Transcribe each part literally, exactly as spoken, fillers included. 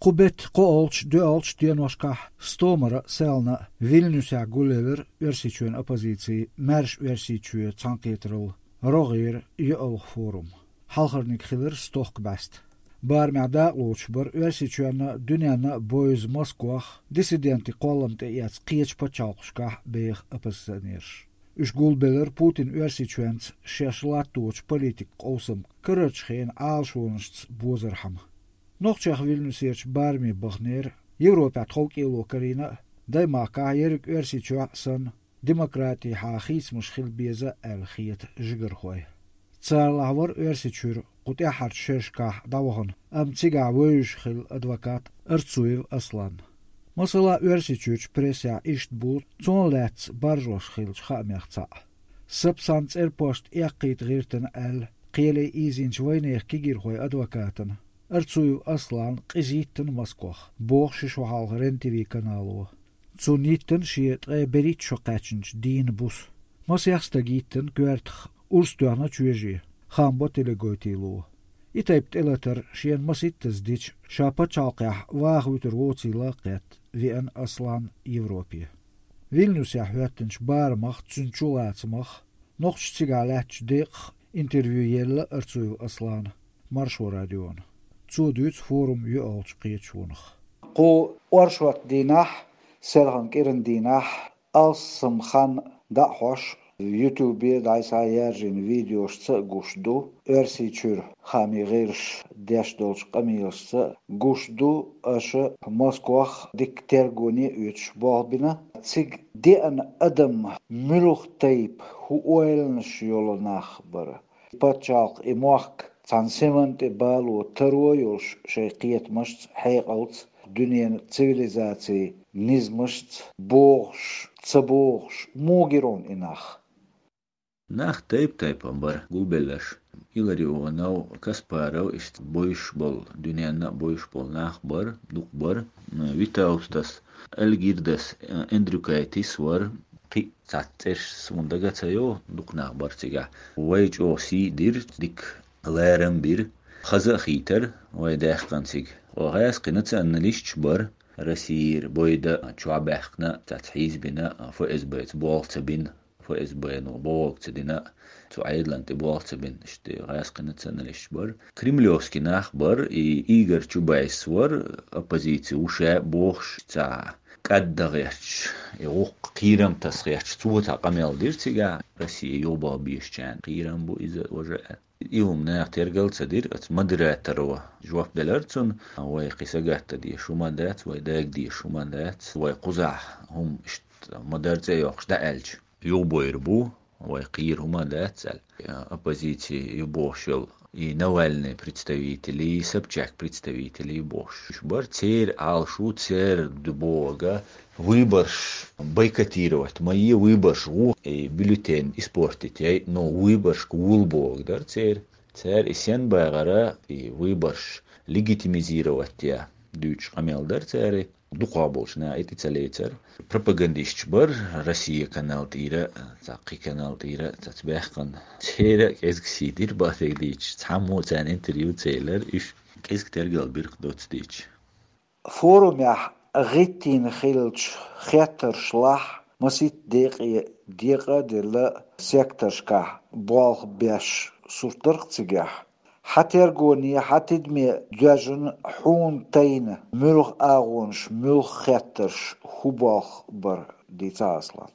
Кху бетта кхоалгӀачу, доьалгӀачу деношкахь стомара а, селхана а Вильнюсехь гулъелира Оьрсийчоьнан оппозицин «Маьрша Оьрсийчоь» цхьаьнакхетаралла рогӀера йоьалгӀа форум. Хьалхарниг хилира стохка бӀаьста. Барамехь дакъалоцуш бара Оьрсийчоьнна а, дуьненна а бевза Москох диссидентийн кхоллам тӀеэцна кхечу пачхьалкхашкахь беха оппозиционераш. Уьш гулбелира Путин Оьрсийчоьнца шаьш латточу политикан къовсам карарчу хенан Ӏалашонашца бозархьама. Нохчех Вильнюсерчу бараме баханера, Европехь тховкӀело карийна а, даймахкахь ерриг Оьрсийчохь а санна, демократехьа хийцамаш хила беза аьлла хета жигархой. Царалахь вара Оьрсийчуьра кху тӀаьххьарчу шерашкахь дӀавахана, амма цигахь вевзаш хилла адвокат Арцуев Аслан. Масала, Оьрсийчуьрчу прессехь иштта бу цунах лаьцна баржош хиллачу хаамех цхьаъ. Сапсан цӀерпошт эккхийта гӀиртина аьлла, кхеле ийзинчу вайнехан кегийрхойн адвокатана, Арцуев Асланна къиза йиттина Москох, боху ши шо хьалха РЕН-ТВ канало. Цунна йиттина шен ткъе берхӀитта шо кхаьчначу дийнан буса. Масех стага йиттина коьртах, урс тоьхна чоьже, хаам бо телегойтийло. И тайпа тӀелатар шена масийттаза дича, ша пачхьалкхехь ваха вуьтур воцийла а кхетта, веана Аслан Европе. Вильнюсехь хӀоьттинчу барамах, цуьнан чулацамах, нохчашца цигахь лаьттачу декъах интервью елла Арцуев Аслана Маршо радиона. Цо дуьйцу форум йоьалгӀачу кхечу вонах. Кху оршот дийнахь, селхана кӀиран дийнахь, алссам хан дӀа а хьош, ютубе дӀасхьа яржийна видеошца а гуш ду, Оьрсийчуьра хаамийн гӀирсаша деш долчу къамелашца а гуш ду аша Москох дикка тергоне а оьцуш болх бина. Цига деана адам муьлха тайпа, хӀун ойланаш йолу нах бара? Пачхьалкх, и мохк цхьана синан тӀе бало таро йолуш шайн кхетамашца, хьекъалца, дуьненан цивилизацин низамашца богӀуш, ца богӀуш, муха гира хьуна и нах? Нах тайп-тайпана бара гулбелларш. Илларионов, Каспаров, иштта бовзуш болу, дуьненна а бовзуш болу нах бара, дукха бара. Витаустас, Альгирдас, Эндрюкайтис вара. Кхин а цхьацца цӀераш суна дага ца йо, дукха нах бара цигахь. Вай чӀогӀа сий дира, дика ларам бира. Хаза а хийтара вай даьккхина цига. Оха гӀаьскхи националисташ бара. Россияра бойда чохь баьхкина, цхьацца хьийзабина, ФСБ-ца болх ца бина, ФСБ-но бохург ца дина, цу Ӏедална тӀе болх ца бина, иштта гӀаьскхи националисташ бара. Кремлевский нах бара, и Игорь Чубайс вара, оппозици ву ша бохуш, цхьа кӀадда гӀерташ, и гӀуккха кхерам таса гӀерташ, цо цхьа къамел дира цигахь, Россия юхабаха безачарна кхерам бу иза важа аьлла. И хӀума наха тергал ца дира, оцу модераторо жоп делара цунна, вай кхин сагатта дезаш хӀума дац, вай дага дезаш хӀума дац, вай кхузахь хӀума иштта ма-дарра цӀе йоккхуш дӀааьлча, юхабойр бу, вай кхийра хӀума дац аьлла. Оппозици ю бохуш йолу и Навальный представителий, Собчак представителий бохуш бара, церан Ӏалашо, церан ду бохург выборш бойкотировать ма е, выборш гӀо, и бюллетень испортить яй, но выборшка вула бохург дара церан. Цара и сенна багӀара, и выборш легитимизировать я дуьйцуш къамел дара церан. Дукхах болчу наха и тӀе ца лецара. Пропагандисташ бара, Россия канал тӀера, цхьа кхин канал тӀера, цхьацца баьхкина. Церан а кӀезиг сий дира, бахьаниг дийцича, цхьаммо царна интервью ца елара, уьш кӀезиг тергал бира доцца дийцича. Форумехь гӀиттийна хиллачу хеттаршлахь масийтта декъе декъа а делла, секторшкахь болх беш сурт дара-кх цигахь. Хьан тергоне, хьан тидаме доьжна, хьуна тайна муьлха агӀонаш, муьлха хеттарш, хӀун болх бара, дийца, Аслан?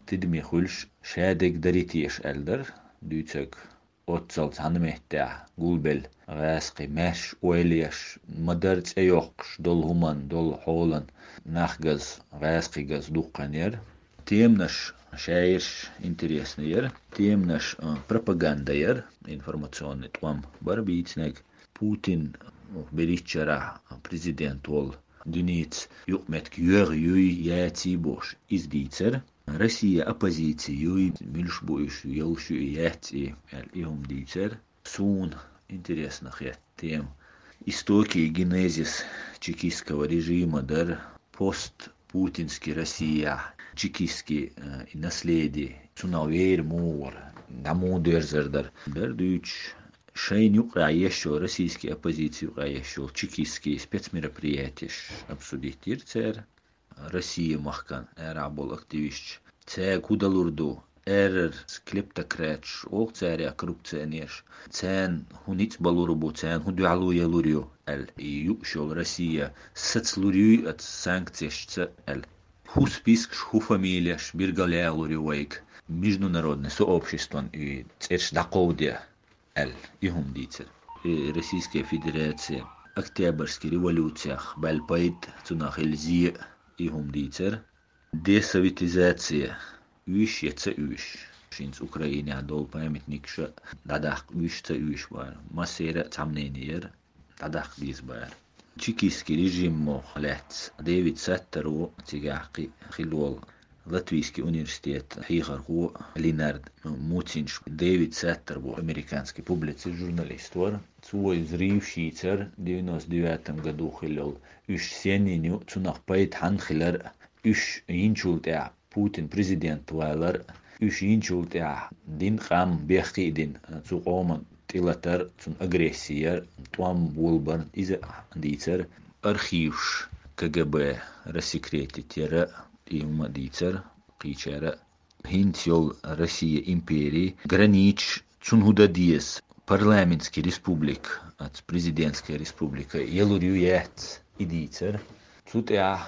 Тидаме хуьлуш, шадерг дарий теша аьлла дара дуьйцург. Оццал цхьана меттехь гулбелла гӀаьскхи, маьрша ойла еш, ма-дарра цӀе йоккхуш долу хӀуманна, долу хьолана нах гац, гӀаьскхи гац дуккха хан яра. Теманаш шаьш интересно яра. Теманаш, а, пропаганда яра, информационный тӀом бара бийцинарг. Путин, ну, берхӀитта шарахь президент волу, дуьненца юкъаметтиг йоьгӀу юй, яций бохуш, иза дийцара. Россия оппозици юй, муьлш бу уьш, йолуш ю и, яц и, аьлла, и хӀума дийцара. Суна интересно хетта тема. Истоки и генезис чекистского режима дара, пост-путинский Россия, чекистский, э, и наследие, цунах вер муха вара, дӀа муха доьрзар дара. Дара дуьйцуш, Шайна юкъе еш йолу, российский оппозици юкъе еш йолу чекистский спецмероприятиеш обсудить йира цара. Россия махкан арахь болу активисташ. Цаьрга хӀун далур ду? Эррар клептократаш олу царех, коррупционераш. Царна хӀун ницкъ балур бу, царна хӀун дуьхьало ялур ю аьлла, и юуш йолу Россия сацалур юй оцу санкцешца аьлла. ХӀун спискаш, хӀун фамилеш биргал ялур ю вайга, международный сообществон и цӀераш дӀакховдо аьлла, и хӀума дийцира. И Российская Федерация Октябрьский революциях баьлла пайда, цунах хилла зе, и хӀума дийцира. Десоветизация, уьш я ца уьш. ХӀинца Украинехь долу памятникаш дӀадаккха уьш, ца уьш бара. Массеран а цхьа мнение яра, дӀадаккха деза бара. Чекистский режимах лаьцна Дэвид Саттаро, цигахь кхин хилла волу Латвийский университет хьехархо Линард Муцинш. Дэвид Саттар бу американский публицист, журналист вара. Цо иза рийваш йийцира девяносто девятом году хилла йолу, уьш сенна йина ю, цунах пайда хьанна хилар, уьш йинчул тӀаьхьа Путин президент валар, уьш йинчул тӀаьхьа дина къам бехке а дина, цу къоман тӀелатар, цунна агресси яр, тӀом болабар, иза дийцар. Архиваш КГБ рассекретить яра, и хӀума дийцар кхечара. ХӀинца йолу Россия импери границаш, цунна хӀун дан деза, парламентский республика, аца президентская республика ялур ю, яц, и дийцар. Цу тӀехь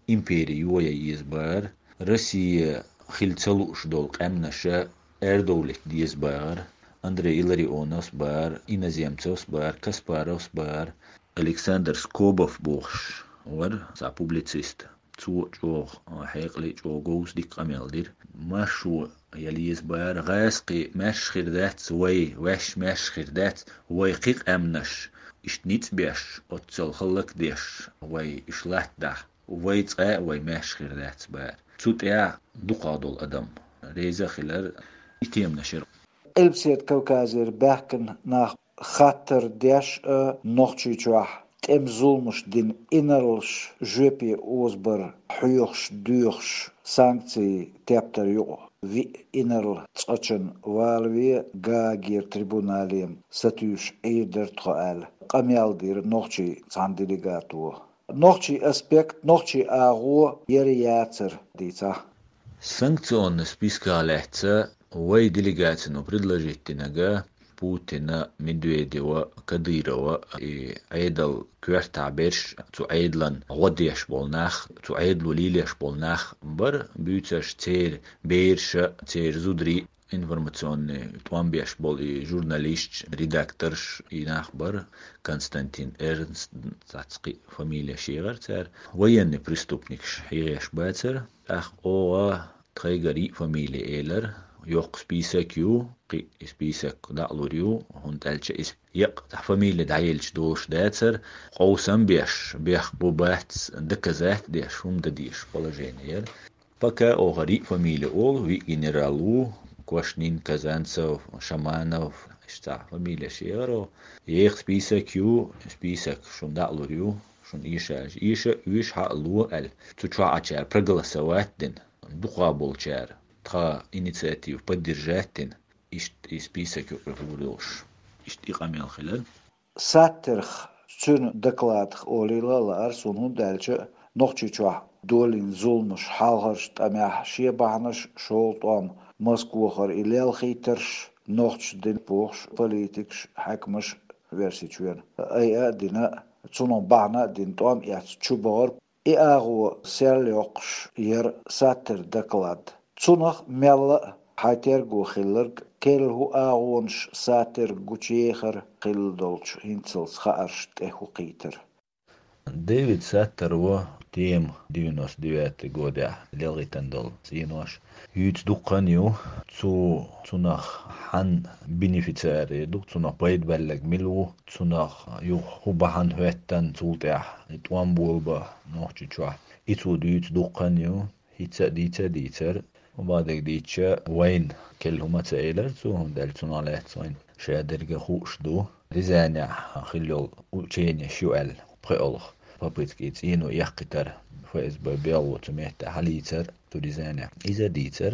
импери йоха еза бара. Россия хила ца лууш долу къаьмнаша арадовлийта деза бара. Андрей Илларионовс бара, Иноземцевс бара, Каспаровс бара, Александр Скобов бохуш вара, цхьа публицист. Цо чӀогӀа хьекъале, чӀогӀа говза дика къамел дира. Маршо яла еза бара, гӀазкхий маьрша хир дац вай, ваьш маьрша хир дац, вай кхин къаьмнаш, иштта ницкъ беш, оццул хӀаллакдеш, вай уьш латтадахь, вай цкъа а вай маьрша хир дац бара. Цу тӀехь дукхах долу адам реза а хилар, и теманаш яра. Къилбаседа Кавказера баьхкина нах хаттар деш а, Нохчийчохь тӀеман зуламаш дина инарлаш жоьпе озабар хьоьхуш, доьхуш, санкцийн тептар юкъа виъ инарла цкъачунна валаве Гаагера трибунале сатуьйсуш Ӏийр дара тхо аьлла, къамел дира нохчийн цхьана делегато. Нохчийн аспект, нохчийн агӀо яра, яцара дийцахь. Санкционный списках лаьцна вай делегацино предложить динарг Путина, Медведева, Кадырова и Ӏедал коьртахь берш, цу Ӏедалан гӀо деш болу нах, цу Ӏедало лелош болу нах бара, буьйцурш церан бераш а, церан зударий, информационный тӀом беш болу и журналисташ, редакторш, и нах бара, Константин Эрнст, цхьацца кхин фамилеш яра церан, военный преступникаш хьехош бацара, тӀаккха оха тхайгара йиъ фамили элира, йоккха список ю, кхин и список дӀа а лур ю, хӀунда аьлча иза еккъа цхьа фамили дӀаелча долуш дацара, къовсам беш, бехк бу-бац доказать деш, хӀума дан дезаш положение яра. Пока оха йиъ фамили олу, виъ генерал ву, Квашнин, Казанцев, Шаманов, иштта цхьа фамилеш яра. Еккъа список ю, список шуна дӀа а лур ю, шуна эша, эша, уьш хьа а ло аьлла. Цу чохь Ӏачара проголосовать дина, дукха болчара тхан инициатива поддержать дина, иштта и список юкъа гӀур йолуш. Иштта и къамел хилар. Саттерах, цуьнан докладах олийла а лаара суна, хӀунда аьлча Нохчийчохь долийна зуламаш, хьалхарчу тӀамехь шен бахьанаш, шолгӀа тӀом Москвахара и лелхийтарш, нохчашна дина бохуш политикаш, хьаькамаш версичу вена. Айа а дина, цунах бахьана а дина, тӀом эцна чу бахара. И агӀо серлайоккхуш яра Саттеран доклад. Цунах мелла а хьайн терго хилларг, керла хӀун агӀонаш Саттеран гучуехара хилла долчу хӀинцалц хаарш тӀе хӀу кхийтира. Дэвид Саттаро тема девяносто девятый годехь лелхийтина долу цӀенош юьйцу дуккха а ю, цу, цунах хьан бенефициари ду, цунах пайда баьлларг мила ву, цунах юха хӀун бахьана хӀоьттина, цул тӀаьхьа и тӀом болабан Нохчийчохь. И цо дуьйцу дуккха а ю, хӀинца а дийца а дийцара. Бакъдерг дийцича, вайна керла хӀума ца элира цо, хӀунда аьлча цунах лаьцна вайна шадерг а хууш ду. Рязанехь хилла йолу ученеш ю аьлла, пхоьалгӀа попытка и цӀено эккхийтар, ФСБ-н белхало цу метте хьалийцар цу Рязанехь. Иза дийцар.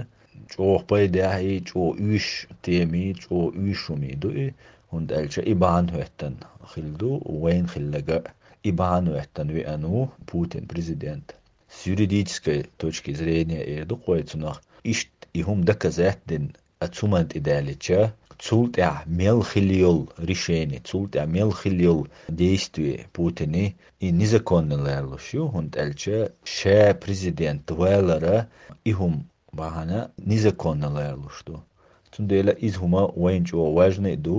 ЧӀогӀа пайдехьа и, чӀогӀа уьш тема и, чӀогӀа уьш хӀума и ду и. ХӀунда аьлча и бахьана хӀоьттина хилла ду, вайна хилларг а, и бахьана хӀоьттина веана ву Путин президент. С юридической точки зрения эр ду-кх вай цунах, иштта и хӀума доказать дина, а цу ман тӀе даьллича, цул тӀаьхьа мел хилла йолу решение, цул тӀаьхьа мел хилла йолу действие Путина, и незаконно лоруш ю, хӀунда аьлча ша президент валар а и хӀума бахьана незаконно лоруш ду. Цундела иза хӀума вайна чӀогӀа важный ду,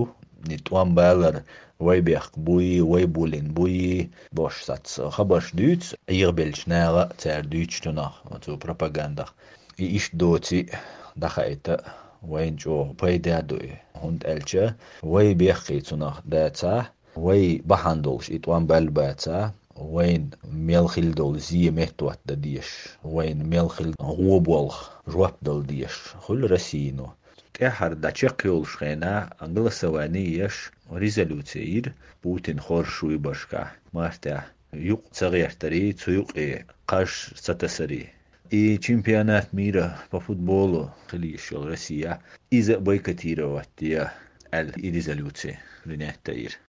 и тӀом балар, вай бехк буй, вай буллина буй, бохуш саца хабарш дуьйцу, Ӏехабеллачу наха а цара дуьйцучунах, оцу пропагандах. И иштта доций дӀахаийта вайна чӀогӀа пайда а ду и, хӀунда аьлча вай бехке цунах дацахь, вай бахьана долуш и тӀом баьлла бацахь, вайна мел хилла долу зе меттахӀотта дан дезаш, вайна мел хилла гӀо болх жоп дала дезаш хуьлу Россино. ТӀаьххьара дӀа чекхйолуш хенахь голосование еш резолюци йира Путин хоржуш вуй башкахь мартехь, юкъ ца гӀертарий, цу юкъе кхаж ца тасарий. И чемпионат мира по футболу хила йиш йолу Россия, иза а бойкотировать де аьлла, и резолюци принять йира.